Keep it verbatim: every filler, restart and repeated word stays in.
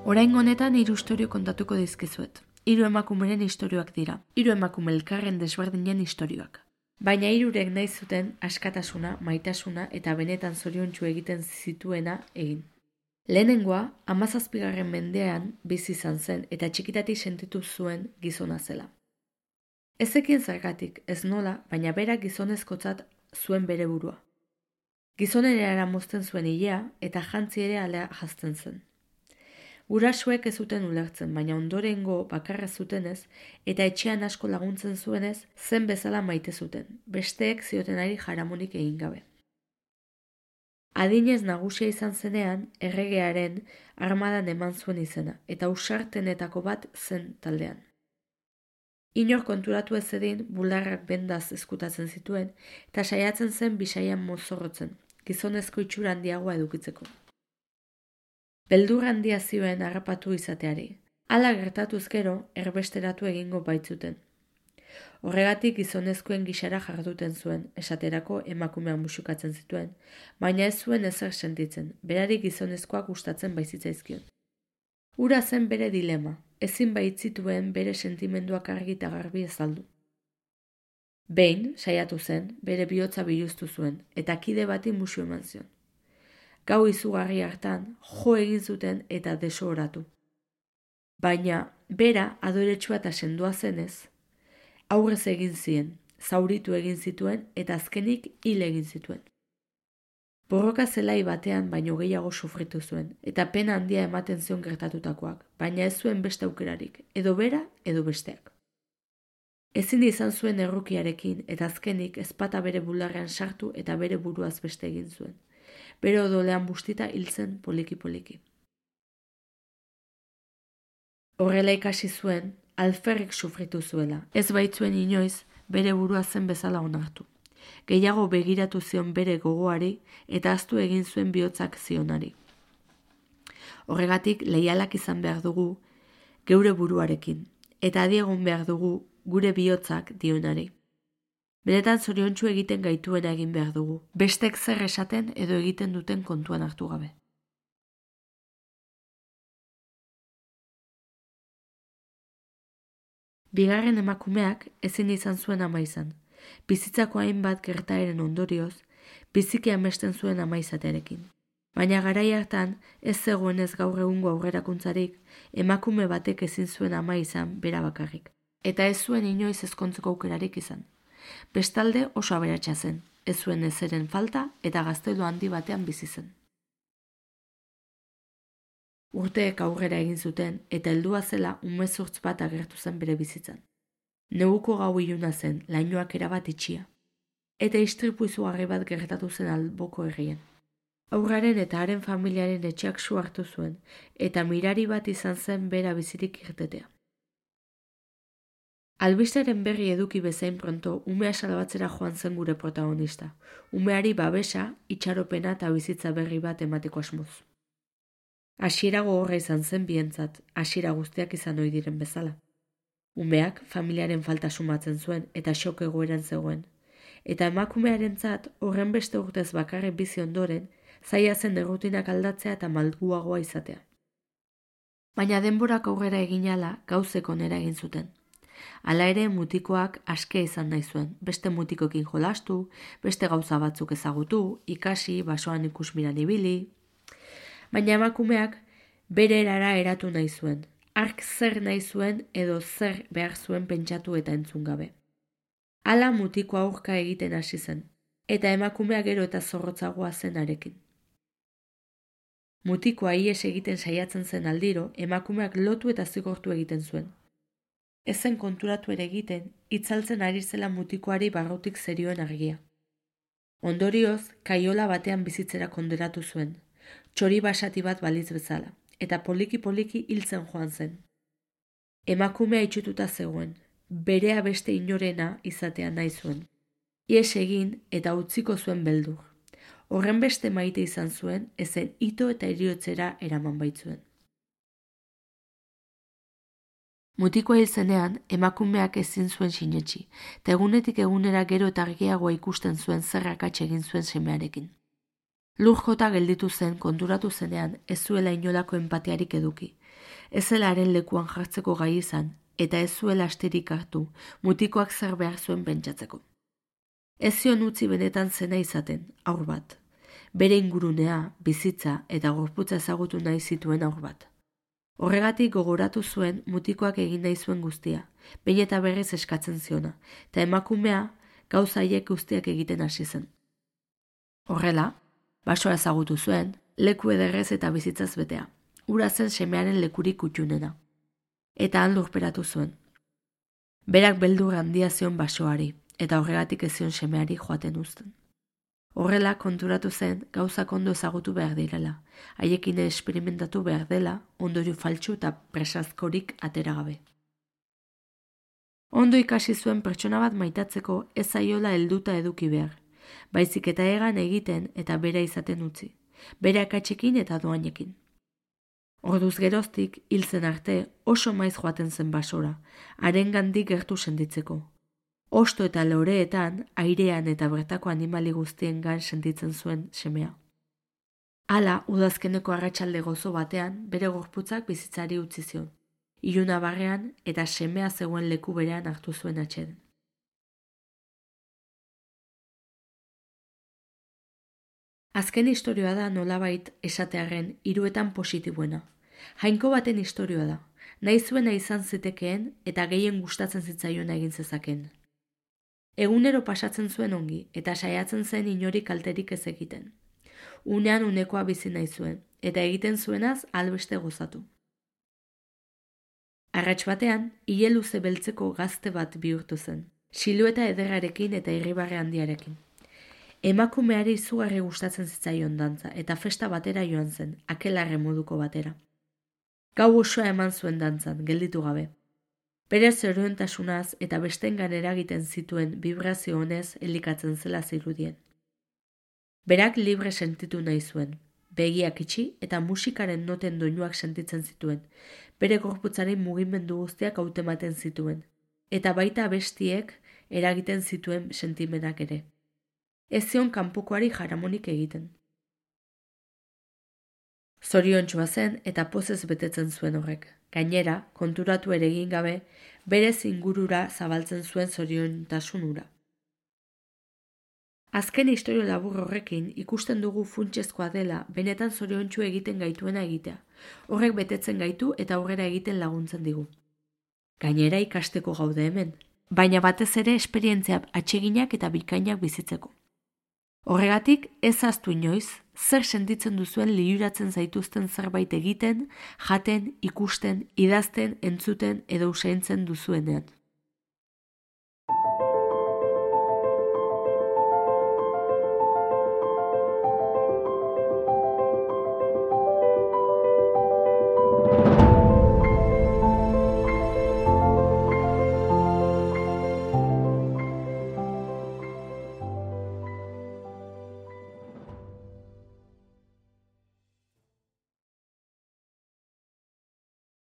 Oraingo honetan hiru istorio kontatuko dizkizuet. Hiru emakumeren istorioak dira. Hiru emakume elkarren desberdinen istorioak. Baina hirurek nahi zuten askatasuna, maitasuna eta benetan zoriontsu egiten zituena egin. Lehenengoa, hamazazpigarren mendean bizi izan zen eta txikitatik sentitu zuen gizona zela. Ez zekien zergatik, ez nola, baina berak gizonezkotzat zuen bere burua. Gizonera mozten zuen ilea eta jantzi ere alea jazten zen. Gurasoek ez zuten ulertzen, baina ondorengo bakarra zutenez eta etxean asko laguntzen zuenez, zen bezala maite zuten, besteek ziotenari jaramonik egin gabe. Adinez nagusia izan zenean, erregearen armadan eman zuen izena, eta ausartenetako bat zen taldean. Inor konturatu ez edin, bularrak bendaz eskutatzen zituen, eta saiatzen zen bisaian mozorrotzen, gizonezko itxura handiagoa edukitzeko. Beldur handia zioen harrapatu izateari. Hala gertatuz gero, erbesteratu egingo baitzuten. Horregatik gizonezkoen gixara jarduten zuen, esaterako emakumean musukatzen zituen, baina ez zuen ezer sentitzen, berari gizonezkoak gustatzen baizitzaizkion. Ura zen bere dilema, ezin baitzituen bere sentimenduak argi eta garbi azaldu. Behin, saiatu zen, bere bihotza biluztu zuen, eta kide bati musu eman zion. Gau izugarri hartan, jo egin zuten eta desoratu. Baina, bera adoretsua eta sendua zenez, aurrez egin zien, zauritu egin zituen eta azkenik hil egin zituen. Borroka zelai batean baino gehiago sufritu zuen, eta pena handia ematen zion gertatutakoak, baina ez zuen beste aukerarik, edo bera, edo besteak. Ezin izan zuen errukiarekin, eta azkenik ezpata bere bularrean sartu eta bere buruaz beste egin zuen. Bere odolean bustita hiltzen poliki-poliki. Horrela ikasi zuen, alferrik sufritu zuela. Ez baitzuen inoiz, bere burua zen bezala onartu. Gehiago begiratu zion bere gogoari eta ahaztu egin zuen bihotzak zionari. Horregatik leialak izan behar dugu geure buruarekin, eta adiegon behar dugu gure bihotzak dionari. Benetan zoriontsu egiten gaituena egin behar dugu, bestek zer esaten edo egiten duten kontuan hartu gabe. Bigarren emakumeak ezin izan zuen ama izan. Bizitzako hainbat gertaeren ondorioz, biziki amesten zuen ama izatearekin. Baina garai hartan, ez zegoenez gaur egungo aurrerakuntzarik, emakume batek ezin zuen ama izan bera bakarrik. Eta ez zuen inoiz ezkontzeko aukerarik izan. Bestalde oso aberatsa zen, ez zuen ezeren falta eta gaztelu handi batean bizi zen. Urteek aurrera egin zuten eta heldua zela umezurtz bat agertu zen bere bizitzan. Neguko gau iluna zen, lainoak erabat itxia. Eta istripu izugarri bat gertatu zen alboko herrian. Aurraren eta haren familiaren etxeak su hartu zuen, eta mirari bat izan zen bera bizirik irtetea. Albisteren berri eduki bezain pronto, umea salbatzera joan zen gure protagonista. Umeari babesa, itxaropena eta bizitza berri bat emateko asmoz. Hasiera gogorra izan zen bientzat, hasiera guztiak izan ohi diren bezala. Umeak familiaren falta sumatzen zuen eta xok egoeran zegoen. Eta emakumearentzat horren beste urtez bakarrik bizi ondoren, zaila zen errutinak aldatzea eta malguagoa izatea. Baina denborak aurrera egin ahala gauzek onera egin zuten. Hala ere mutikoak askea izan nahi zuen, beste mutikoekin jolastu, beste gauza batzuk ezagutu, ikasi, basoan ikusmiran ibili. Baina emakumeak bere erara eratu nahi zuen, hark zer nahi zuen edo zer behar zuen pentsatu eta entzun gabe. Hala mutiko aurka egiten hasi zen, eta emakumea gero eta zorrotzagoa zen arekin. Mutikoa ihes egiten saiatzen zen aldiro, emakumeak lotu eta zigortu egiten zuen. Ezen konturatu ere egiten, itzaltzen ari zela mutikoari barrutik zerioen argia. Ondorioz, kaiola batean bizitzera konderatu zuen, txori basati bat balitz bezala, eta poliki-poliki hiltzen joan zen. Emakumea itxututa zegoen, berea beste inorena izatea nahi zuen. Ihes egin eta utziko zuen beldur. Horren beste maite izan zuen, ezen ito eta heriotzera eraman baitzuen. Mutikoa hil zenean, emakumeak ezin zuen sinetsi, eta egunetik egunera gero eta argiagoa ikusten zuen zer akats egin zuen semearekin. Lur jota gelditu zen konturatu zenean ez zuela inolako enpatiarik eduki. Ez zela haren lekuan jartzeko gai izan, eta ez zuela astirik hartu, mutikoak zer behar zuen pentsatzeko. Ez zion utzi benetan zena izaten, haur bat. Bere ingurunea, bizitza eta gorputza ezagutu nahi zituen haur bat. Horregatik gogoratu zuen mutikoak egin nahi zuen guztia, behin eta berriz eskatzen ziona, eta emakumea gauza haiek guztiak egiten hasi zen. Horrela, basoa ezagutu zuen, leku ederrez eta bizitzaz betea, hura zen semearen lekurik kutxunena. Eta han lurperatu zuen. Berak beldur handia zion basoari, eta horregatik ez zion semeari joaten uzten. Horrela konturatu zen gauzak ondo ezagutu behar direla, haiekin esperimentatu behar dela, ondorio faltsu eta presazkorik atera gabe. Ondo ikasi zuen pertsona bat maitatzeko ez zaiola helduta eduki behar, baizik eta egan egiten eta bera izaten utzi, bere akatsekin eta doainekin. Orduz geroztik, hil zen arte, oso maiz joaten zen basora, harengandik gertu senditzeko. Osto eta loreetan, airean eta bertako animali guztiengan sentitzen zuen semea. Hala, udazkeneko arratsalde gozo batean, bere gorputzak bizitzari utzi zion. Iluna barrean eta semea zegoen leku berean hartu zuen atseden. Azken istorioa da nolabait esatearren hiruetan positiboena. Jainko baten istorioa da, nahi zuena izan zitekeen eta gehien gustatzen zitzaiona egin zezaken. Egunero pasatzen zuen ongi eta saiatzen zen inori kalterik ez egiten. Unean unekoa bizi nahi zuen eta egiten zuenaz albeste gozatu. Arrats batean, ile luze beltzeko gazte bat bihurtu zen, silueta ederrarekin eta irribarre handiarekin. Emakumeari izugarri gustatzen zitzaion dantza eta festa batera joan zen, akelarre moduko batera. Gau osoa eman zuen dantzan, gelditu gabe. Bere zoriontasunaz eta bestengan eragiten zituen vibrazio honez elikatzen zela zirudien. Berak libre sentitu nahi zuen, begiak itxi eta musikaren noten doinuak sentitzen zituen, bere gorputzaren mugimendu guztiak hautematen zituen, eta baita bestiek eragiten zituen sentimenak ere. Ez zion kanpokoari jaramonik egiten. Zoriontsua zen eta pozez betetzen zuen horrek. Gainera, konturatu ere egin gabe, berez ingurura zabaltzen zuen zoriontasun hura. Azken istorio labur horrekin ikusten dugu funtsezkoa dela benetan zoriontsu egiten gaituena egitea. Horrek betetzen gaitu eta aurrera egiten laguntzen digu. Gainera ikasteko gaude hemen, baina batez ere esperientzia atseginak eta bikainak bizitzeko. Horregatik ez ahaztu inoiz, zer sentitzen duzuen liluratzen zaituzten zerbait egiten, jaten, ikusten, idazten, entzuten edo usaintzen duzuenean.